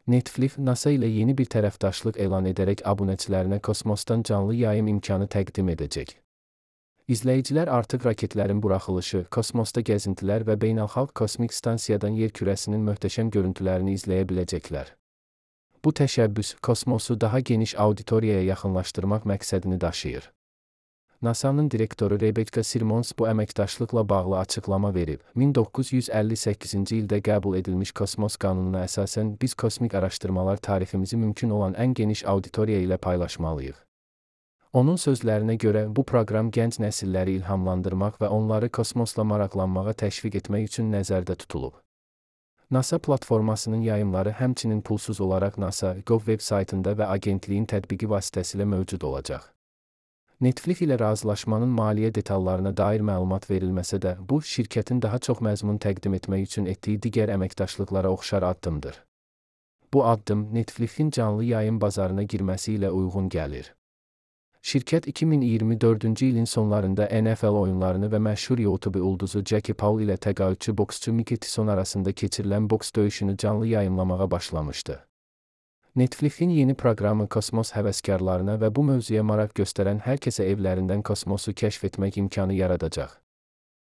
Netflix, NASA ilə yeni bir tərəfdaşlıq elan edərək abunəçilərinə kosmosdan canlı yayım imkanı təqdim edəcək. İzləyicilər artıq raketlərin buraxılışı, kosmosda gəzintilər və beynəlxalq kosmik stansiyadan yer kürəsinin möhtəşəm görüntülərini izləyə biləcəklər. Bu təşəbbüs, kosmosu daha geniş auditoriyaya yaxınlaşdırmaq məqsədini daşıyır. NASA'nın direktoru Rebecca Simons bu əməkdaşlıqla bağlı açıqlama verib. 1958-ci ildə qəbul edilmiş kosmos qanununa əsasən biz kosmik araşdırmalar tariximizi mümkün olan ən geniş auditoriya ilə paylaşmalıyıq. Onun sözlərinə görə bu proqram gənc nəsilləri ilhamlandırmaq və onları kosmosla maraqlanmağa təşviq etmək üçün nəzərdə tutulub. NASA platformasının yayımları həmçinin pulsuz olaraq NASA.gov veb-saytında və agentliyin tətbiqi vasitəsilə mövcud olacaq. Netflix ilə razılaşmanın maliyyə detallarına dair məlumat verilməsə də, bu, şirkətin daha çox məzmun təqdim etmək üçün etdiyi digər əməkdaşlıqlara oxşar addımdır. Bu addım, Netflixin canlı yayım bazarına girməsi ilə uyğun gəlir. Şirkət 2024-cü ilin sonlarında NFL oyunlarını və məşhur YouTube ulduzu Jackie Paul ilə təqaüdçü boksçu Mickey Tyson arasında keçirilən boks döyüşünü canlı yayımlamağa başlamışdı. Netflixin yeni proqramı kosmos həvəskarlarına və bu mövzuya maraq göstərən hər kəsə evlərindən kosmosu kəşf etmək imkanı yaradacaq.